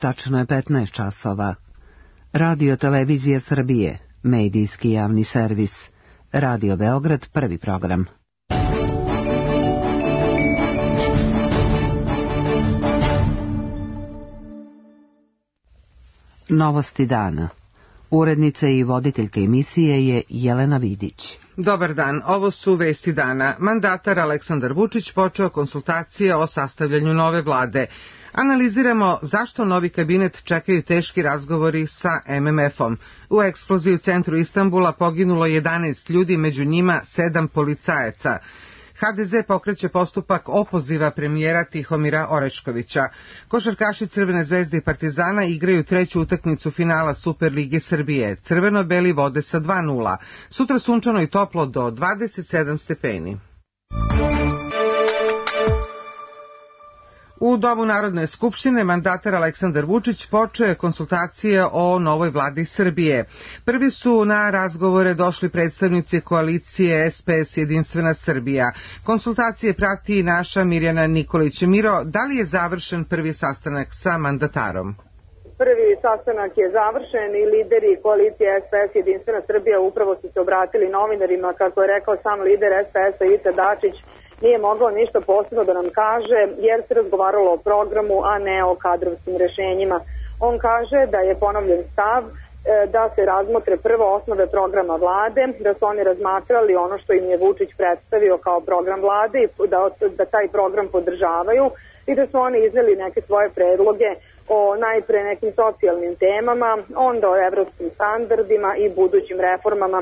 Tačno je 15 časova. Radio Televizija Srbije, medijski javni servis. Radio Beograd, prvi program. Novosti dana. Urednica i voditeljka emisije je Jelena Vidić. Dobar dan, ovo su vesti dana. Mandatar Aleksandar Vučić počeo konsultacije o sastavljanju nove vlade. Analiziramo zašto novi kabinet čekaju teški razgovori sa MMF-om. U eksploziji u centru Istanbula poginulo 11 ljudi, među njima 7 policajaca. HDZ pokreće postupak opoziva premijera Tihomira Oreškovića. Košarkaši Crvene zvezde i Partizana igraju treću utakmicu finala Superlige Srbije. Crveno-beli vode sa 2:0. Sutra sunčano i toplo do 27 stepeni. U Domu Narodne skupštine mandatar Aleksandar Vučić počeo je konsultacije o novoj vladi Srbije. Prvi su na razgovore došli predstavnici koalicije SPS Jedinstvena Srbija. Konsultacije prati naša Mirjana Nikolić. Miro, da li je završen prvi sastanak sa mandatarom? Prvi sastanak je završen i lideri koalicije SPS Jedinstvena Srbija upravo su se obratili novinarima, kako je rekao sam lider SPS-a Ivica Dačić. Nije mogao ništa posebno da nam kaže jer se razgovaralo o programu, a ne o kadrovskim rešenjima. On kaže da je ponovljen stav da se razmotre prvo osnove programa vlade, da su oni razmatrali ono što im je Vučić predstavio kao program vlade i da taj program podržavaju i da su oni izneli neke svoje predloge o najpre nekim socijalnim temama, onda o evropskim standardima i budućim reformama.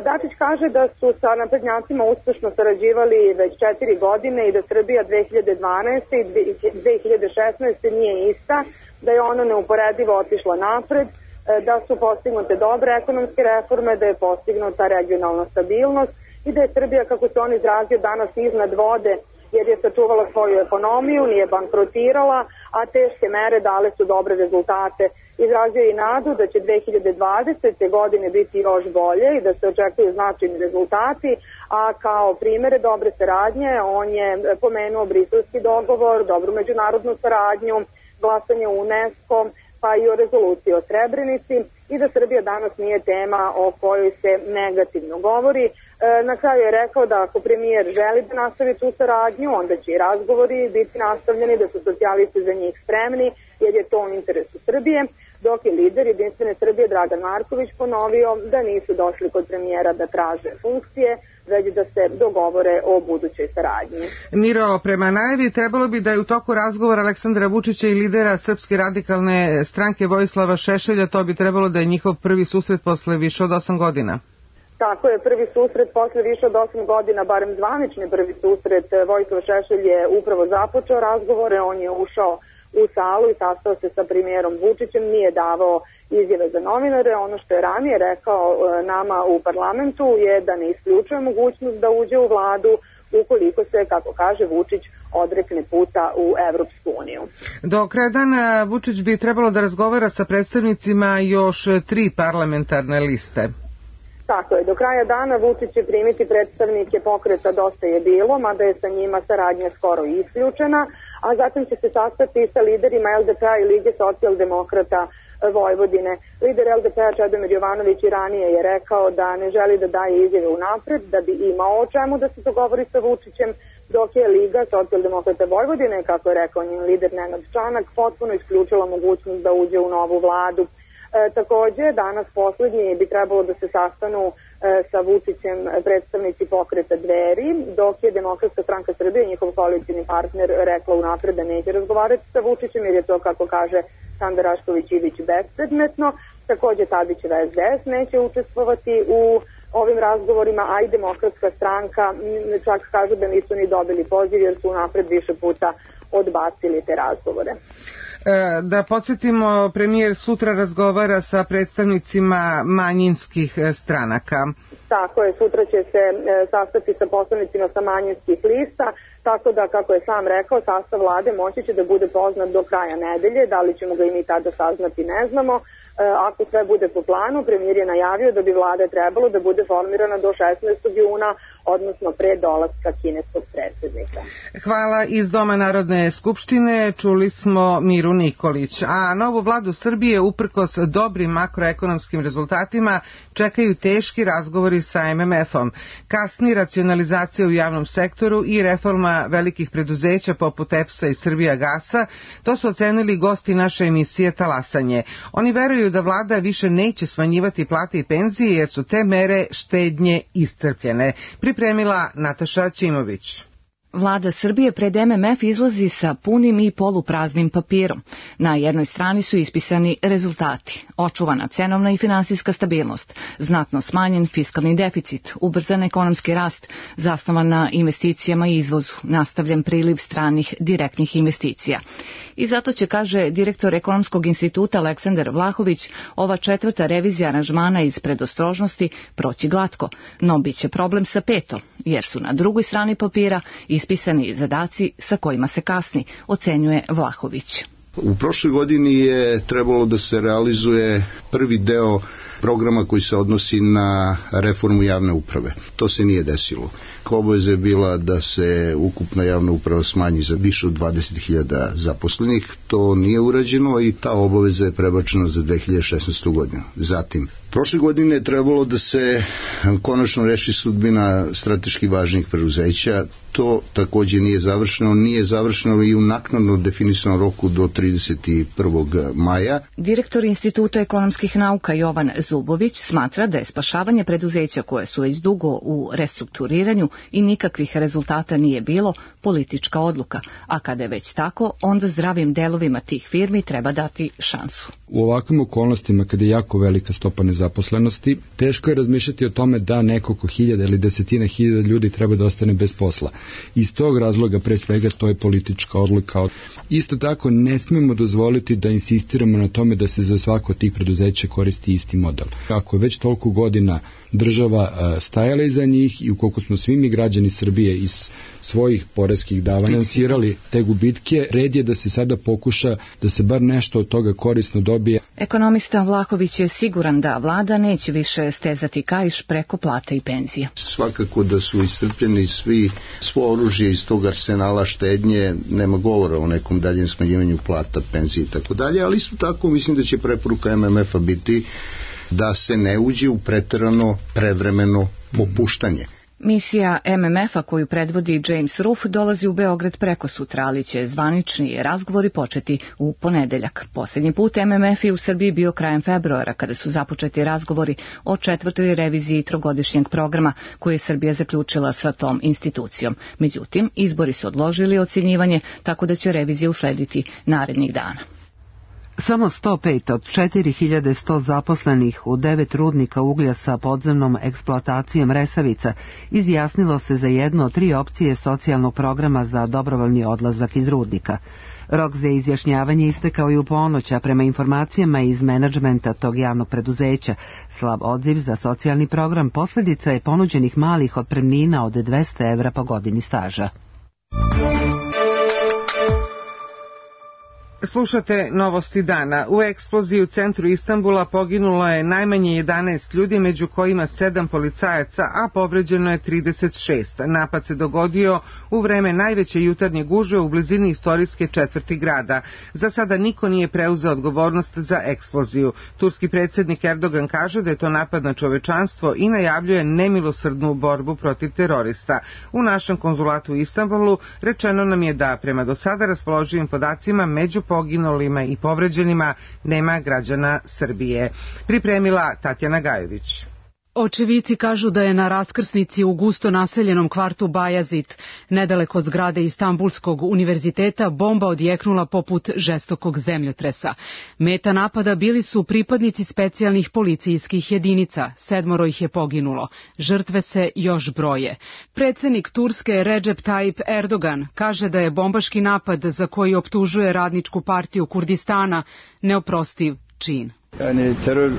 Dačić kaže da su sa naprednjacima uspešno sarađivali već 4 godine i da Srbija 2012. i 2016. nije ista, da je ona neuporedivo otišla napred, da su postignute dobre ekonomske reforme, da je postignuta regionalna stabilnost i da je Srbija, kako se on izrazio, danas iznad vode jer je sačuvala svoju ekonomiju, nije bankrotirala, a teške mere dale su dobre rezultate. Izrazio je i nadu da će 2020. godine biti još bolje i da se očekuju značajni rezultati, a kao primere dobre saradnje on je pomenuo briselski dogovor, dobru međunarodnu saradnju, glasanje u UNESCO, pa i o rezoluciji o Srebrenici i da Srbija danas nije tema o kojoj se negativno govori. Na kraju je rekao da ako premijer želi da nastavi tu saradnju, onda će i razgovori biti nastavljeni, da su socijalisti za njih spremni, jer je to u interesu Srbije, dok je lider Jedinstvene Srbije Dragan Marković ponovio da nisu došli kod premijera da traže funkcije, već da se dogovore o budućoj saradnji. Miro, prema najavi trebalo bi da je u toku razgovora Aleksandra Vučića i lidera Srpske radikalne stranke Vojislava Šešelja, to bi trebalo da je njihov prvi susret posle više od 8 godina. Tako je, prvi susret posle više od 8 godina, barem zvanični prvi susret. Vojislav Šešelj je upravo započeo razgovore, on je ušao u salu i sastao se sa premijerom Vučićem, nije davao izjave za novinare. Ono što je ranije rekao nama u parlamentu je da ne isključuje mogućnost da uđe u vladu ukoliko se, kako kaže Vučić, odrekne puta u Evropsku uniju. Do kraja dana Vučić bi trebalo da razgovara sa predstavnicima još 3 parlamentarne liste. Tako je, do kraja dana Vučić će primiti predstavnike pokreta Dosta je bilo, mada je sa njima saradnja skoro isključena, a zatim će se sastati sa liderima LDP-a i Lige socijaldemokrata Vojvodine. Lider LDP-a Čedomir Jovanović i ranije je rekao da ne želi da daje izjave unapred, da bi imao o čemu da se dogovori sa Vučićem, dok je Liga socijaldemokrata Vojvodine, kako je rekao njen lider Nenad Čanak, potpuno isključila mogućnost da uđe u novu vladu. Takođe, danas poslednji bi trebalo da se sastanu sa Vučićem predstavnici pokreta Dveri, dok je Demokratska stranka Srbije, njihov koalicijni partner, rekla unapred da neće razgovarati sa Vučićem jer je to, kako kaže Sanda Rašković-Ivić, bespredmetno. Takođe, Tadićeva SDS neće učestvovati u ovim razgovorima, a i Demokratska stranka čak kažu da nisu ni dobili poziv jer su unapred više puta odbacili te razgovore. Da podsjetimo, premijer sutra razgovara sa predstavnicima manjinskih stranaka. Tako je, sutra će se sastati sa poslanicima sa manjinskih lista, tako da, kako je sam rekao, sastav vlade moći će da bude poznat do kraja nedelje, da li ćemo ga i mi tada saznati ne znamo. Ako sve bude po planu, premijer je najavio da bi vlada trebalo da bude formirana do 16. juna odnosno pre dolaska kineskog predsednika. Hvala. Iz Doma Narodne skupštine čuli smo Miru Nikolić, a novu vladu Srbije uprkos dobrim makroekonomskim rezultatima čekaju teški razgovori sa MMF-om. Kasni racionalizacija u javnom sektoru i reforma velikih preduzeća poput EPS-a i Srbijagasa, to su ocenili gosti naše emisije Talasanje. Oni veruju da vlada više neće smanjivati plate i penzije jer su te mere štednje iscrpljene. Pripremila Nataša Ćimović. Vlada Srbije pred MMF izlazi sa punim i polupraznim papirom. Na jednoj strani su ispisani rezultati, očuvana cenovna i finansijska stabilnost, znatno smanjen fiskalni deficit, ubrzan ekonomski rast, zasnovan na investicijama i izvozu, nastavljen priliv stranih direktnih investicija. I zato će, kaže direktor Ekonomskog instituta Aleksandar Vlahović, ova četvrta revizija aranžmana iz predostrožnosti proći glatko, no bit će problem sa petom, jer su na drugoj strani papira ispisani zadaci sa kojima se kasni, ocenjuje Vlahović. U prošloj godini je trebalo da se realizuje prvi deo programa koji se odnosi na reformu javne uprave. To se nije desilo. Obaveza je bila da se ukupna javna uprava smanji za više od 20.000 zaposlenih. To nije urađeno i ta obaveza je prebačena za 2016. godinu. Zatim, prošle godine je trebalo da se konačno reši sudbina strateški važnih preduzeća. To takođe nije završeno i u naknadno definisanom roku do 31. maja. Direktor Instituta ekonomskih nauka Jovan Zubović smatra da je spašavanje preduzeća koje su već dugo u restrukturiranju i nikakvih rezultata nije bilo politička odluka, a kada je već tako, onda zdravim delovima tih firmi treba dati šansu. U ovakvim okolnostima, kada je jako velika stopa nezaposlenosti, teško je razmišljati o tome da nekoliko hiljada ili desetina hiljada ljudi treba da ostane bez posla. Iz tog razloga, pre svega, to je politička odluka. Isto tako, ne smemo dozvoliti da insistiramo na tome da se za svako od tih preduzeća koristi isti model. Ako je već toliko godina država stajala iza njih i ukoliko smo svi mi građani Srbije iz svojih poreskih davanja finansirali te gubitke, red je da se sada pokuša da se bar nešto od toga korisno dobije. Ekonomista Vlahović je siguran da vlada neće više stezati kaiš preko plata i penzija. Svakako da su iscrpljeni svo oružje iz tog arsenala štednje, nema govora o nekom daljem smanjivanju plata, penzije i tako dalje, ali isto tako mislim da će preporuka MMF-a biti da se ne uđe u preterano prevremeno popuštanje. Misija MMF-a koju predvodi James Ruff dolazi u Beograd prekosutra, ali će zvanični razgovori početi u ponedeljak. Posljednji put MMF je u Srbiji bio krajem februara, kada su započeti razgovori o četvrtoj reviziji trogodišnjeg programa koje je Srbija zaključila sa tom institucijom. Međutim, izbori su odložili ocjenjivanje, tako da će revizija uslediti narednih dana. Samo 105 od 4100 zaposlenih u 9 rudnika uglja sa podzemnom eksploatacijom Resavica izjasnilo se za jednu od 3 opcije socijalnog programa za dobrovoljni odlazak iz rudnika. Rok za izjašnjavanje istekao i u ponoć, a prema informacijama iz menadžmenta tog javnog preduzeća, slab odziv za socijalni program posljedica je ponuđenih malih otpremnina od 200 evra po godini staža. Slušate novosti dana. U eksploziji u centru Istanbula poginulo je najmanje 11 ljudi, među kojima 7 policajaca, a povređeno je 36. Napad se dogodio u vreme najveće jutarnje gužve u blizini istorijske četvrti grada. Za sada niko nije preuzeo odgovornost za eksploziju. Turski predsjednik Erdogan kaže da je to napad na čovečanstvo i najavljuje nemilosrdnu borbu protiv terorista. U našem konzulatu u Istanbulu rečeno nam je da prema do sada raspoloživim podacima među poginulima i povređenima nema građana Srbije. Pripremila Tatjana Gajović. Očevici kažu da je na raskrsnici u gusto naseljenom kvartu Bajazit, nedaleko od zgrade Istanbulskog univerziteta, bomba odjeknula poput žestokog zemljotresa. Meta napada bili su pripadnici specijalnih policijskih jedinica, 7 ih je poginulo. Žrtve se još broje. Predsjednik Turske Recep Tayyip Erdogan kaže da je bombaški napad za koji optužuje Radničku partiju Kurdistana neoprostiv čin.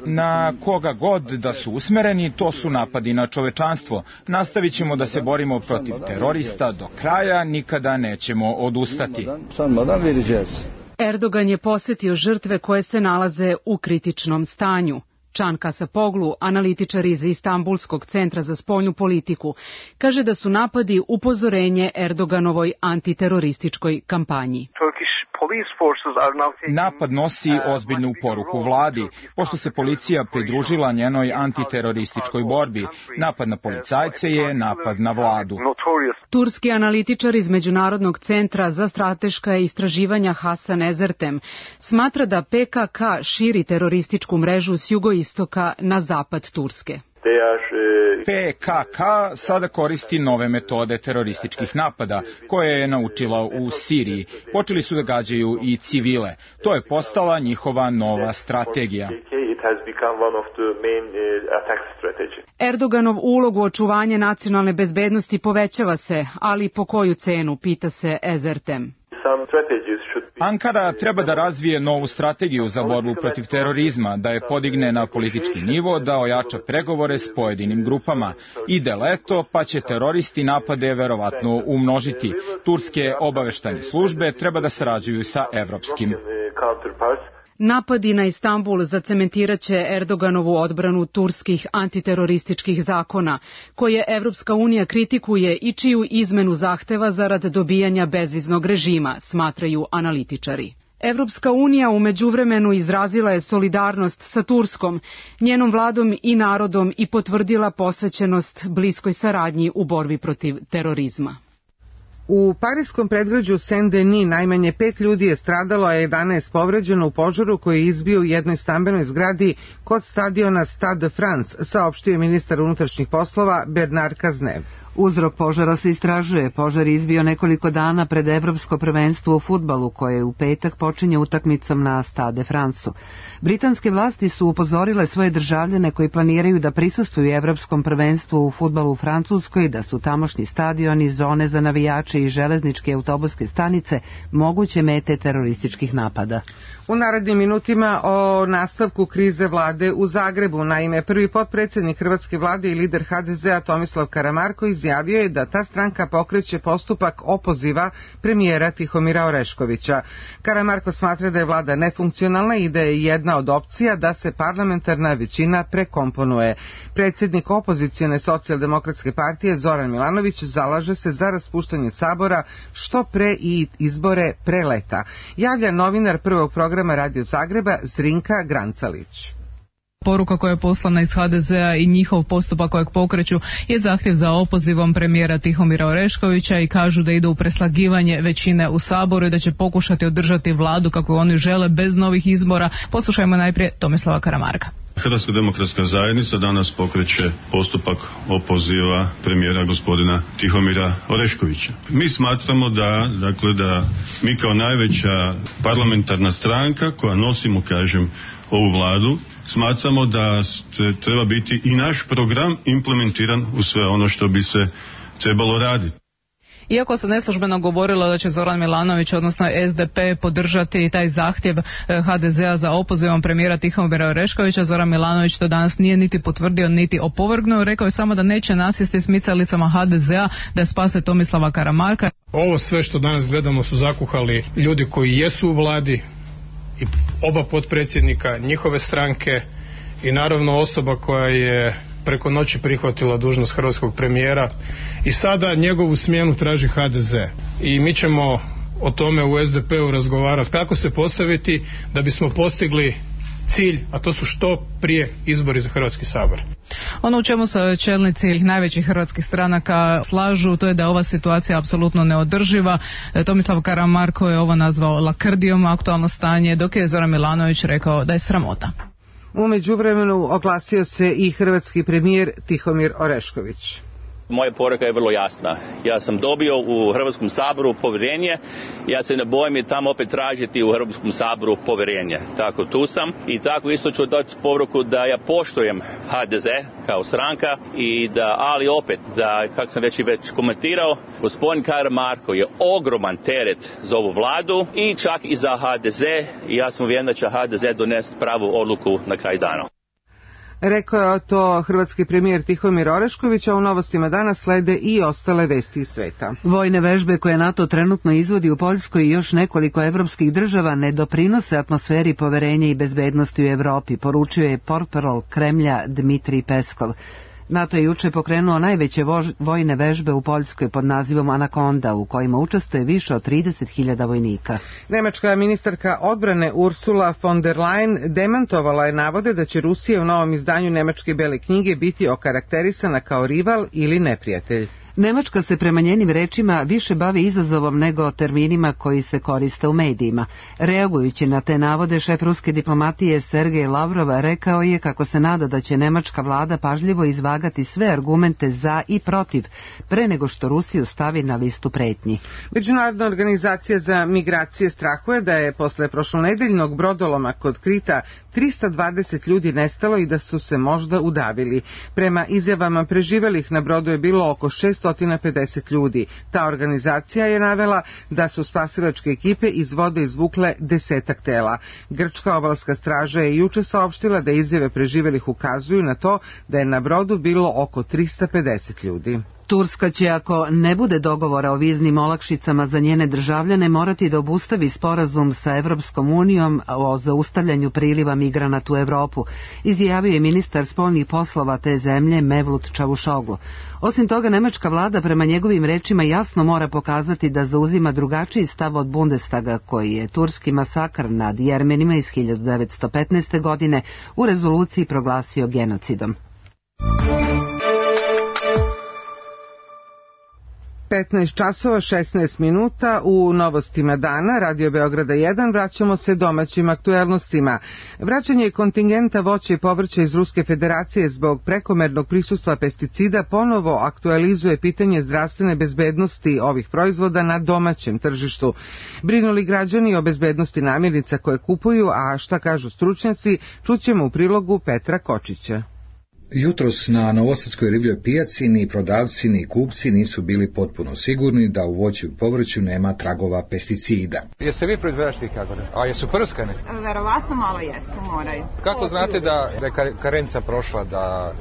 Na koga god da su usmereni, to su napadi na čovečanstvo. Nastavit ćemo da se borimo protiv terorista do kraja, nikada nećemo odustati. Erdogan je posjetio žrtve koje se nalaze u kritičnom stanju. Can Kasapoglu, analitičar iz Istanbulskog centra za spoljnu politiku, kaže da su napadi upozorenje Erdoganovoj antiterorističkoj kampanji. Napad nosi ozbiljnu poruku vladi, pošto se policija pridružila njenoj antiterorističkoj borbi. Napad na policajce je napad na vladu. Turski analitičar iz Međunarodnog centra za strateška istraživanja Hasan Ezertem smatra da PKK širi terorističku mrežu s jugoistoka na zapad Turske. PKK sada koristi nove metode terorističkih napada koje je naučila u Siriji. Počeli su da gađaju i civile. To je postala njihova nova strategija. Erdoganov ulog u očuvanje nacionalne bezbednosti povećava se, ali po koju cenu, pita se Ezertem. Ankara treba da razvije novu strategiju za borbu protiv terorizma, da je podigne na politički nivo, da ojača pregovore s pojedinim grupama. Ide leto, pa će teroristi napade verovatno umnožiti. Turske obaveštajne službe treba da sarađuju sa evropskim. Napadi na Istanbul zacementiraće Erdoganovu odbranu turskih antiterorističkih zakona, koje Evropska unija kritikuje i čiju izmenu zahteva zarad dobijanja bezviznog režima, smatraju analitičari. Evropska unija u međuvremenu izrazila je solidarnost sa Turskom, njenom vladom i narodom i potvrdila posvećenost bliskoj saradnji u borbi protiv terorizma. U parijskom predgrađu Saint-Denis najmanje 5 ljudi je stradalo, a 11 povređeno u požaru koji je izbio u jednoj stambenoj zgradi kod stadiona Stade de France, saopštio je ministar unutrašnjih poslova Bernard Cazeneuve. Uzrok požara se istražuje. Požar je izbio nekoliko dana pred Evropsko prvenstvo u fudbalu koje u petak počinje utakmicom na Stade de France-u. Britanske vlasti su upozorile svoje državljane koji planiraju da prisustvuju Evropskom prvenstvu u fudbalu u Francuskoj da su tamošnji stadioni, zone za navijače i železničke autobuske stanice moguće mete terorističkih napada. U narednim minutima o nastavku krize vlade u Zagrebu. Naime, prvi potpredsjednik hrvatske vlade i lider HDZ-a Tomislav Karamarko izjavio je da ta stranka pokreće postupak opoziva premijera Tihomira Oreškovića. Karamarko smatra da je vlada nefunkcionalna i da je jedna od opcija da se parlamentarna većina prekomponuje. Predsjednik opozicione socijaldemokratske partije Zoran Milanović zalaže se za raspuštanje sabora što pre i izbore pre leta. Javlja novinar prvog programa Radio Zagreba Zrinka Grancalić. Poruka koja je poslana iz HDZ-a i njihov postupak kojeg pokreću je zahtjev za opozivom premijera Tihomira Oreškovića i kažu da ide u preslagivanje većine u Saboru i da će pokušati održati vladu kako oni žele bez novih izbora. Poslušajmo najprije Tomislava Karamarka. Hrvatska demokratska zajednica danas pokreće postupak opoziva premijera gospodina Tihomira Oreškovića. Mi smatramo da mi kao najveća parlamentarna stranka koja nosimo, ovu vladu, smatramo da treba biti i naš program implementiran u sve ono što bi se trebalo raditi. Iako se neslužbeno govorilo da će Zoran Milanović, odnosno SDP, podržati taj zahtjev HDZ-a za opozivom premijera Tihomira Oreškovića, Zoran Milanović to danas nije niti potvrdio, niti opovrgnuo. Rekao je samo da neće nasjesti smicalicama HDZ-a da spase Tomislava Karamarka. Ovo sve što danas gledamo su zakuhali ljudi koji jesu u vladi, i oba potpredsjednika, njihove stranke i naravno osoba koja je preko noći prihvatila dužnost hrvatskog premijera i sada njegovu smjenu traži HDZ. I mi ćemo o tome u SDP-u razgovarati kako se postaviti da bismo postigli cilj, a to su što prije izbori za Hrvatski sabor. Ono u čemu se čelnici najvećih hrvatskih stranaka slažu, to je da je ova situacija apsolutno neodrživa. Tomislav Karamarko je ovo nazvao lakrdijom aktualno stanje, dok je Zoran Milanović rekao da je sramota. U međuvremenu oglasio se i hrvatski premijer Tihomir Orešković. Moja poruka je vrlo jasna. Ja sam dobio u Hrvatskom saboru povjerenje. Ja se ne bojim i tamo opet tražiti u Hrvatskom saboru povjerenje. Tako tu sam i tako isto ću dati poruku da ja poštujem HDZ kao stranka i da, ali opet, da, kako sam već komentirao, gospodin Karamarko je ogroman teret za ovu vladu i čak i za HDZ i ja sam uvjeren da će HDZ donesti pravu odluku na kraj dana. Rekao je to hrvatski premijer Tihomir Orešković, a u novostima danas slede i ostale vesti iz sveta. Vojne vežbe koje NATO trenutno izvodi u Poljskoj i još nekoliko evropskih država ne doprinose atmosferi poverenja i bezbednosti u Evropi, poručio je portparol Kremlja Dmitrij Peskov. NATO je juče pokrenuo najveće vojne vežbe u Poljskoj pod nazivom Anakonda, u kojima učestvuje više od 30.000 vojnika. Nemačka ministarka odbrane Ursula von der Leyen demantovala je navode da će Rusija u novom izdanju Nemačke bele knjige biti okarakterisana kao rival ili neprijatelj. Nemačka se prema njenim rečima više bavi izazovom nego terminima koji se koriste u medijima. Reagujući na te navode, šef ruske diplomatije Sergej Lavrov rekao je kako se nada da će nemačka vlada pažljivo izvagati sve argumente za i protiv pre nego što Rusiju stavi na listu pretnji. Međunarodna organizacija za migracije strahuje da je posle prošlonedeljnog brodoloma kod Krita 320 ljudi nestalo i da su se možda udavili. Prema izjavama preživelih na brodu je bilo oko 650 ljudi. Ta organizacija je navela da su spasilačke ekipe iz vode izvukle 10 tela. Grčka obalska straža je juče saopštila da izjave preživelih ukazuju na to da je na brodu bilo oko 350 ljudi. Turska će, ako ne bude dogovora o viznim olakšicama za njene državljane, morati da obustavi sporazum sa Evropskom unijom o zaustavljanju priliva migranata u Evropu, izjavio je ministar spoljnih poslova te zemlje Mevlut Čavušoglu. Osim toga, nemačka vlada prema njegovim rečima jasno mora pokazati da zauzima drugačiji stav od Bundestaga, koji je turski masakr nad Jermenima iz 1915. godine u rezoluciji proglasio genocidom. 15 časova 16 minuta u novostima dana, Radio Beograda 1, vraćamo se domaćim aktuelnostima. Vraćanje kontingenta voća i povrća iz Ruske federacije zbog prekomernog prisustva pesticida ponovo aktualizuje pitanje zdravstvene bezbednosti ovih proizvoda na domaćem tržištu. Brinu li građani o bezbednosti namirnica koje kupuju, a šta kažu stručnjaci, čućemo u prilogu Petra Kočića. Jutros na novosadskoj ribljoj pijaci ni prodavci ni kupci nisu bili potpuno sigurni da u voću i povrću nema tragova pesticida. Jeste vi proizvođač tih jagode? A jesu prskane? Verovatno malo jesu, moraju. Kako znate da je karenca prošla, da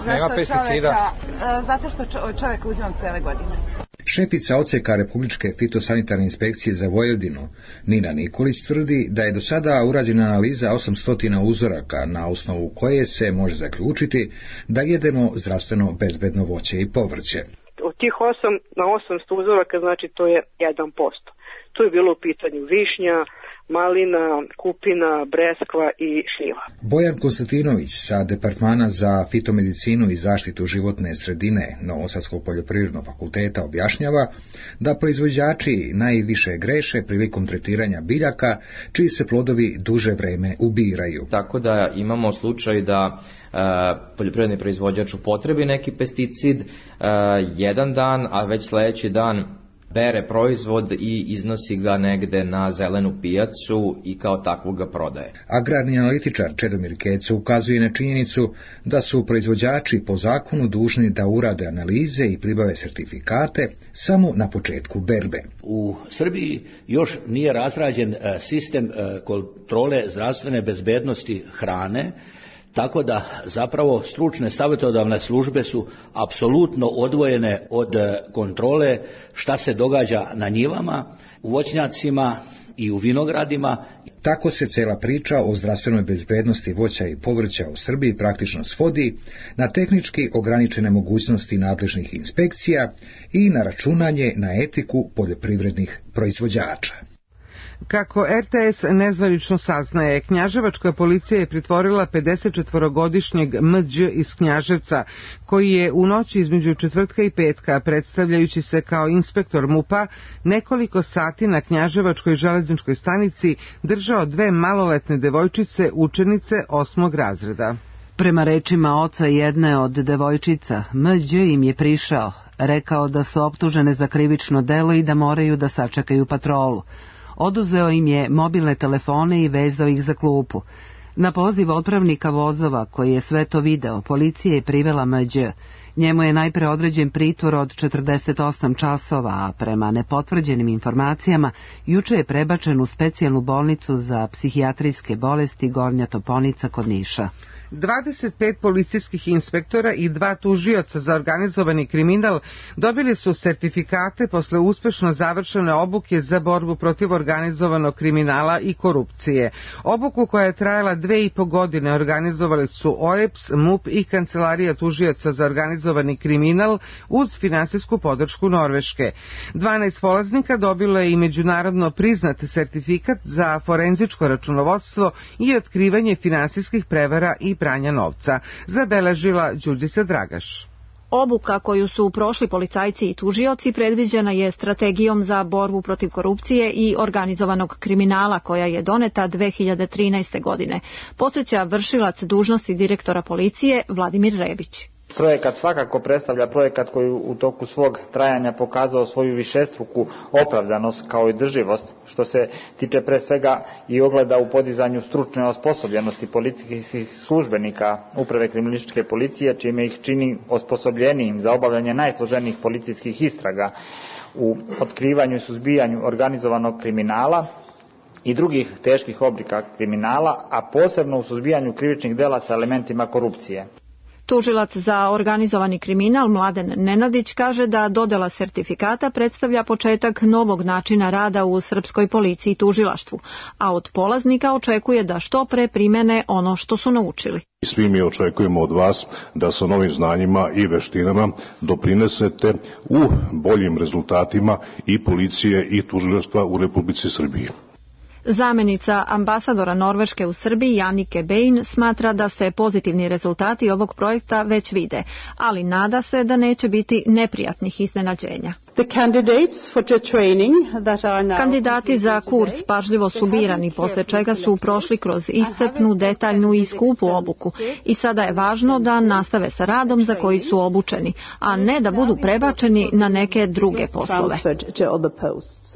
nema pesticida? Zato što čovjek uzimam cele godine. Šefica odseka Republičke fitosanitarne inspekcije za Vojvodinu, Nina Nikolić, tvrdi da je do sada urađena analiza 800 uzoraka na osnovu koje se može zaključiti da jedemo zdravstveno bezbedno voće i povrće. Od tih 8 na 800 uzoraka, znači to je 1%. Tu je bilo u pitanju višnja, malina, kupina, breskva i šljiva. Bojan Konstantinović sa Departmana za fitomedicinu i zaštitu životne sredine Novosadskog poljoprivrednog fakulteta objašnjava da proizvođači najviše greše prilikom tretiranja biljaka, čiji se plodovi duže vreme ubiraju. Tako da imamo slučaj da poljoprivredni proizvođač upotrebi neki pesticid jedan dan, a već sljedeći dan bere proizvod i iznosi ga negde na zelenu pijacu i kao takvog ga prodaje. Agrarni analitičar Čedomir Keco ukazuje na činjenicu da su proizvođači po zakonu dužni da urade analize i pribave sertifikate samo na početku berbe. U Srbiji još nije razrađen sistem kontrole zdravstvene bezbednosti hrane, tako da zapravo stručne savjetodavne službe su apsolutno odvojene od kontrole šta se događa na njivama, u voćnjacima i u vinogradima. Tako se cela priča o zdravstvenoj bezbednosti voća i povrća u Srbiji praktično svodi na tehnički ograničene mogućnosti nadležnih inspekcija i na računanje na etiku poljoprivrednih proizvođača. Kako RTS nezvanično saznaje, knjaževačka policija je pritvorila 54-godišnjeg Mđ iz Knjaževca, koji je u noći između četvrtka i petka, predstavljajući se kao inspektor MUP-a, nekoliko sati na Knjaževačkoj železničkoj stanici držao 2 maloletne devojčice, učenice 8. razreda. Prema rečima oca jedne od devojčica, Mđ im je prišao, rekao da su optužene za krivično delo i da moraju da sačekaju patrolu. Oduzeo im je mobilne telefone i vezao ih za klupu. Na poziv otpravnika vozova, koji je sve to video, policija je privela Mđ. Njemu je najpre određen pritvor od 48 časova, a prema nepotvrđenim informacijama, juče je prebačen u specijalnu bolnicu za psihijatrijske bolesti Gornja Toponica kod Niša. 25 policijskih inspektora i 2 tužioca za organizovani kriminal dobili su sertifikate posle uspešno završene obuke za borbu protiv organizovanog kriminala i korupcije. Obuku koja je trajala 2,5 godine organizovali su OEPS, MUP i Kancelarija tužioca za organizovani kriminal uz finansijsku podršku Norveške. 12 polaznika dobilo je i međunarodno priznat sertifikat za forenzičko računovodstvo i otkrivanje finansijskih prevara i pranja novca, zabeležila Đurđica Dragaš. Obuka koju su prošli policajci i tužioci predviđena je strategijom za borbu protiv korupcije i organizovanog kriminala koja je doneta 2013. godine. Podsjeća vršilac dužnosti direktora policije Vladimir Rebić. Projekat svakako predstavlja projekat koji u toku svog trajanja pokazao svoju višestruku opravdanost kao i drživost, što se tiče pre svega i ogleda u podizanju stručne osposobljenosti policijskih službenika Uprave kriminalističke policije, čime ih čini osposobljenijim za obavljanje najsloženijih policijskih istraga u otkrivanju i suzbijanju organizovanog kriminala i drugih teških oblika kriminala, a posebno u suzbijanju krivičnih dela sa elementima korupcije. Tužilac za organizovani kriminal Mladen Nenadić kaže da dodela sertifikata predstavlja početak novog načina rada u srpskoj policiji i tužilaštvu, a od polaznika očekuje da što pre primene ono što su naučili. Svi mi očekujemo od vas da sa novim znanjima i veštinama doprinesete u boljim rezultatima i policije i tužilaštva u Republici Srbiji. Zamenica ambasadora Norveške u Srbiji Janike Bein smatra da se pozitivni rezultati ovog projekta već vide, ali nada se da neće biti neprijatnih iznenađenja. Kandidati za kurs pažljivo su birani, posle čega su prošli kroz iscrpnu, detaljnu i skupu obuku i sada je važno da nastave sa radom za koji su obučeni, a ne da budu prebačeni na neke druge poslove.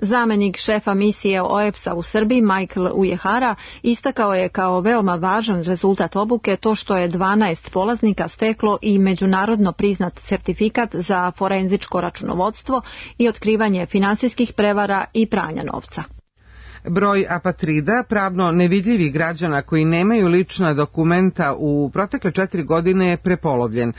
Zamenik šefa misije OEPS-a u Srbiji Michael Ujehara istakao je kao veoma važan rezultat obuke to što je 12 polaznika steklo i međunarodno priznat sertifikat za forenzičko računovodstvo i otkrivanje finansijskih prevara i pranja novca. Broj apatrida, pravno nevidljivih građana koji nemaju lična dokumenta u protekle 4 godine je prepolovljen.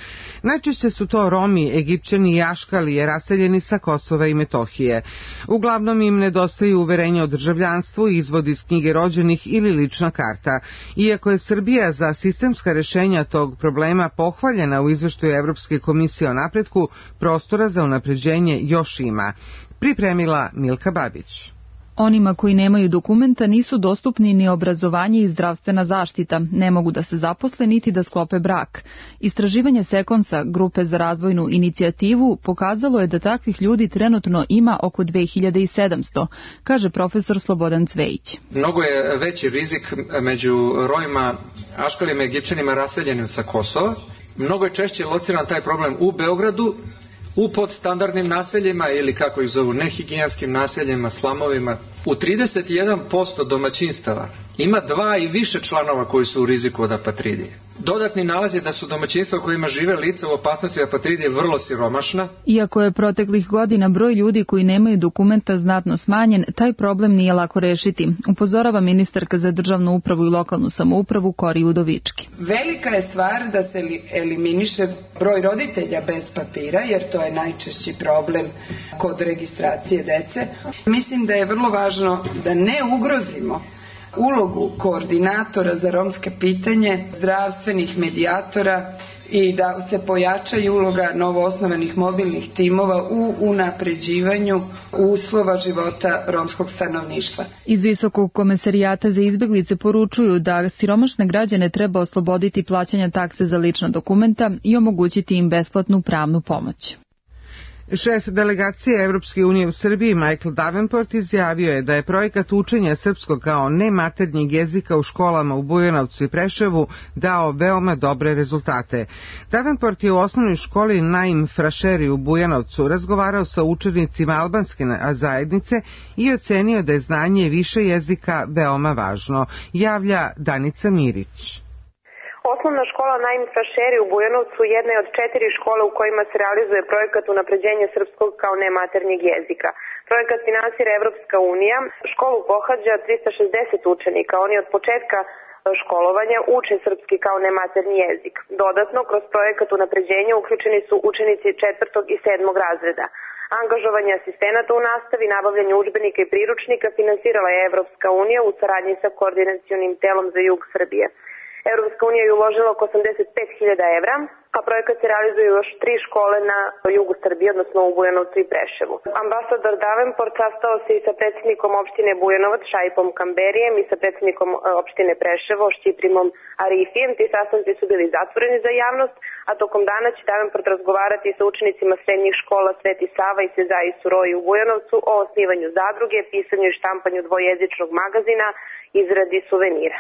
Najčešće su to Romi, Egipćani i Aškalije raseljeni sa Kosova i Metohije. Uglavnom im nedostaju uverenja o državljanstvu, izvod iz knjige rođenih ili lična karta. Iako je Srbija za sistemska rešenja tog problema pohvaljena u izveštaju Evropske komisije o napretku, prostora za unapređenje još ima. Pripremila Milka Babić. Onima koji nemaju dokumenta nisu dostupni ni obrazovanje i zdravstvena zaštita, ne mogu da se zaposle niti da sklope brak. Istraživanje Sekonsa, grupe za razvojnu inicijativu, pokazalo je da takvih ljudi trenutno ima oko 2700, kaže profesor Slobodan Cvejić. Mnogo je veći rizik među Romima, Aškalijama i Egipćanima raseljenim sa Kosova. Mnogo je češće lociran taj problem u Beogradu, u podstandardnim naseljima ili kako ih zovu nehigijenskim naseljima, slamovima. U 31% domaćinstava ima 2 i više članova koji su u riziku od apatridije. Dodatni nalaz je da su domaćinstva u kojima žive lica u opasnosti apatridije vrlo siromašna. Iako je proteklih godina broj ljudi koji nemaju dokumenta znatno smanjen, taj problem nije lako rešiti, upozorava ministarka za državnu upravu i lokalnu samoupravu Kori Udovički. Velika je stvar da se eliminiše broj roditelja bez papira, jer to je najčešći problem kod registracije dece. Mislim da je vrlo važno da ne ugrozimo ulogu koordinatora za romske pitanje, zdravstvenih medijatora i da se pojača i uloga novoosnovanih mobilnih timova u unapređivanju uslova života romskog stanovništva. Iz Visokog komesarijata za izbeglice poručuju da siromašne građane treba osloboditi plaćanja takse za lična dokumenta i omogućiti im besplatnu pravnu pomoć. Šef delegacije Evropske unije u Srbiji Michael Davenport izjavio je da je projekat učenja srpskog kao nematernjeg jezika u školama u Bujanovcu i Preševu dao veoma dobre rezultate. Davenport je u osnovnoj školi Naim Frašeri u Bujanovcu razgovarao sa učenicima albanske zajednice i ocenio da je znanje više jezika veoma važno, javlja Danica Mirić. Osnovna škola Naim Frašeri u Bujanovcu jedna je od 4 škole u kojima se realizuje projekat unapređenja srpskog kao nematernjeg jezika. Projekat finansira Evropska unija. Školu pohađa 360 učenika. Oni od početka školovanja uče srpski kao nematernji jezik. Dodatno, kroz projekat unapređenja uključeni su učenici 4. i 7. razreda. Angažovanje asistenata u nastavi, nabavljanje udžbenika i priručnika finansirala je Evropska unija u saradnji sa koordinacionim telom za jug Srbije. Evropska unija je uložila oko 85.000 evra, a projekat se realizuje još 3 škole na jugu Srbije, odnosno u Bujanovcu i Preševu. Ambasador Davenport sastao se i sa predsjednikom opštine Bujanovac Šaipom Kamberijem i sa predsjednikom opštine Preševo Šćiprimom Arifijem. Ti sastanci su bili zatvoreni za javnost, a tokom dana će Davenport razgovarati sa učenicima srednjih škola Sveti Sava i Sezai Suroji u Bujanovcu o osnivanju zadruge, pisanju i štampanju dvojezičnog magazina, izradi suvenira.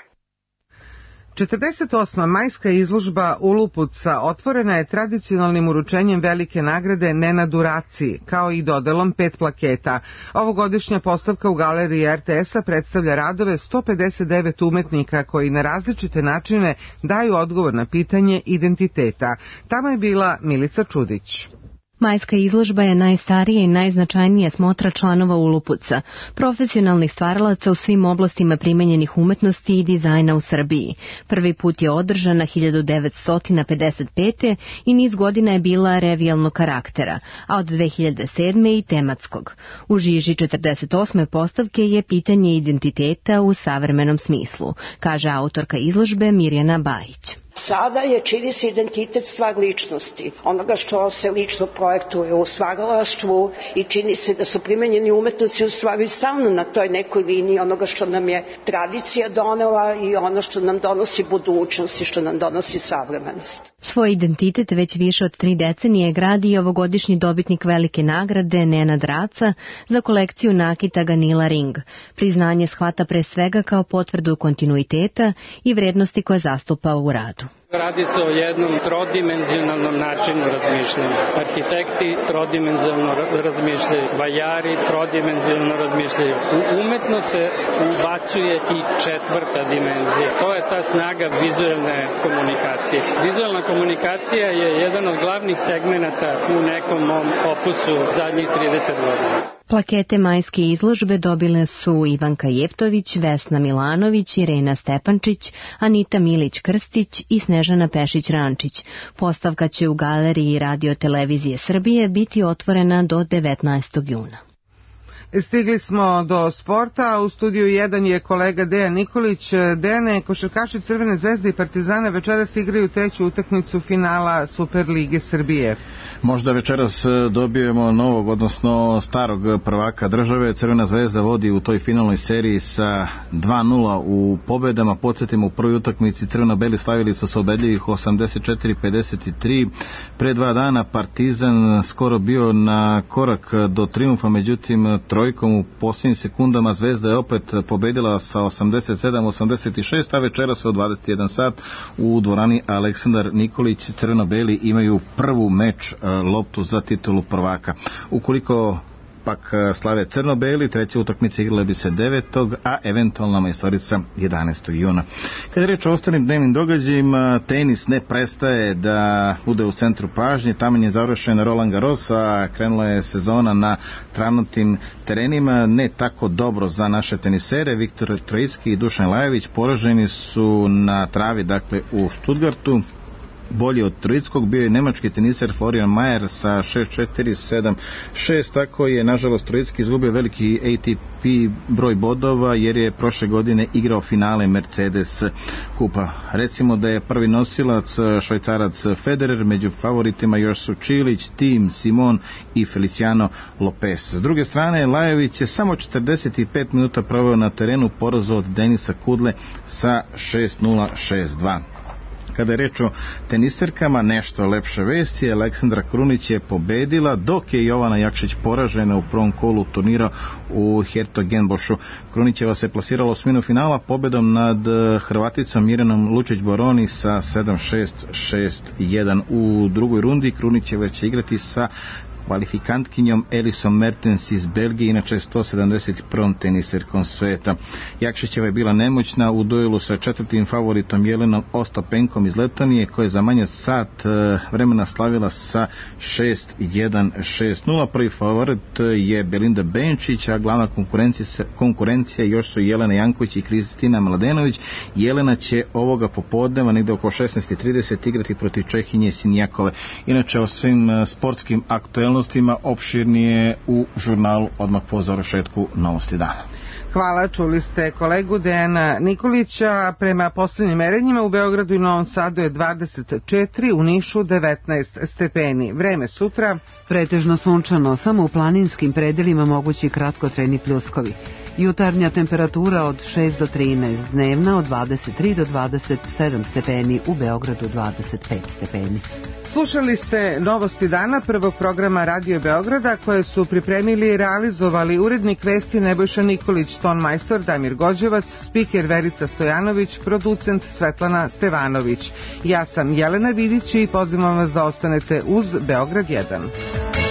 48. majska izložba Ulupuca otvorena je tradicionalnim uručenjem velike nagrade Nenadu Raciji, kao i dodelom 5 plaketa. Ovogodišnja postavka u galeriji RTS-a predstavlja radove 159 umetnika koji na različite načine daju odgovor na pitanje identiteta. Tamo je bila Milica Čudić. Majska izložba je najstarija i najznačajnija smotra članova Ulupuca, profesionalnih stvaralaca u svim oblastima primenjenih umetnosti i dizajna u Srbiji. Prvi put je održana 1955. i niz godina je bila revijalnog karaktera, a od 2007. i tematskog. U žiži 48. postavke je pitanje identiteta u savremenom smislu, kaže autorka izložbe Mirjana Bajić. Sada je čini se identitet stvar ličnosti, onoga što se lično projektuje u stvaralaštvu i čini se da su primenjeni umetnici u stvari stalno na toj nekoj liniji onoga što nam je tradicija donela i ono što nam donosi budućnost i što nam donosi savremenost. Svoj identitet već više od 3 decenije gradi i ovogodišnji dobitnik velike nagrade Nenad Raca za kolekciju nakita Ganila Ring. Priznanje shvata pre svega kao potvrdu kontinuiteta i vrednosti koje zastupa u radu. Radi se o jednom trodimenzionalnom načinu razmišljanja. Arhitekti trodimenzionalno razmišljaju, vajari trodimenzionalno razmišljaju. U umetnost se ubacuje i 4. dimenzija. To je ta snaga vizualne komunikacije. Vizualna komunikacija je jedan od glavnih segmenata u nekom mom opusu zadnjih 30 godina. Plakete majske izložbe dobile su Ivanka Jeftović, Vesna Milanović, Irena Stepančić, Anita Milić-Krstić i Snežana Pešić-Rančić. Postavka će u galeriji Radio Televizije Srbije biti otvorena do 19. juna. Stigli smo do sporta, a u studiju 1 je kolega Dejan Nikolić. Dejane, košarkaši Crvene zvezde i Partizana večeras igraju 3. utakmicu finala Superlige Srbije. Možda večeras dobijemo novog, odnosno starog prvaka države. Crvena zvezda vodi u toj finalnoj seriji sa 2-0 u pobedama. Podsjetimo, u prvoj utakmici crveno-beli slavili su se ubedljivih 84-53. Pre 2 dana Partizan skoro bio na korak do triumfa, međutim trojkom u posljednjim sekundama Zvezda je opet pobedila sa 87-86, a večeras u 21 sat u dvorani Aleksandar Nikolić crveno-beli imaju prvu meč loptu za titulu prvaka. Ukoliko pak slave crno-beli, 3. utakmice igrale bi se 9. a eventualna majstorica 11. juna. Kad je reč o ostalim dnevnim događajima, tenis ne prestaje da bude u centru pažnje. Tamo je završen Roland Garros, a krenula je sezona na travnatim terenima, ne tako dobro za naše tenisere. Viktor Trojicki i Dušan Lajović poraženi su na travi, dakle u Stuttgartu. Bolji od Trojickog bio je nemački teniser Florian Mayer sa 6-4, 7-6, tako je nažalost Trojicki izgubio veliki ATP broj bodova jer je prošle godine igrao finale Mercedes kupa. Recimo da je prvi nosilac Švajcarac Federer, među favoritima još su Čilić, Tim, Simon i Feliciano Lopez. S druge strane, Lajović je samo 45 minuta proveo na terenu, porazao od Denisa Kudle sa 6-0, 6-2. Kada je reč o teniserkama, nešto lepše vesti, Aleksandra Krunić je pobedila, dok je Jovana Jakšić poražena u prvom kolu turnira u Hertogenbošu. Krunićeva se plasirala u osminu finala pobedom nad Hrvaticom Mirjanom Lučić-Boroni sa 7-6, 6-1. U drugoj rundi Krunićeva će igrati sa kvalifikantkinjom Elisom Mertens iz Belgije, inače 171. teniserkom sveta. Jakšićeva je bila nemoćna u duelu sa četvrtim favoritom Jelenom Ostapenkom iz Letonije, koja je za manje sat vremena slavila sa 6-1, 6-0. Prvi favorit je Belinda Benčić, a glavna konkurencija još su Jelena Janković i Kristina Mladenović. Jelena će ovoga popodneva negde oko 16:30 igrati protiv Čehinje Sinjakove. Inače o svim sportskim aktuelnostima opširnije u žurnalu odmah po završetku Novosti dana. Hvala, čuli ste kolegu Dejana Nikolića. Prema posljednjim merenjima u Beogradu i Novom Sadu je 24, u Nišu 19 stepeni. Vreme sutra pretežno sunčano, samo u planinskim predelima mogući kratkotrajni pljuskovi. Jutarnja temperatura od 6 do 13, dnevna od 23 do 27 stepeni, u Beogradu 25 stepeni. Slušali ste Novosti dana prvog programa Radio Beograda, koje su pripremili i realizovali urednik vesti Nebojša Nikolić, tonmajstor Damir Gođevac, spiker Verica Stojanović, producent Svetlana Stevanović. Ja sam Jelena Vidić i pozivam vas da ostanete uz Beograd 1.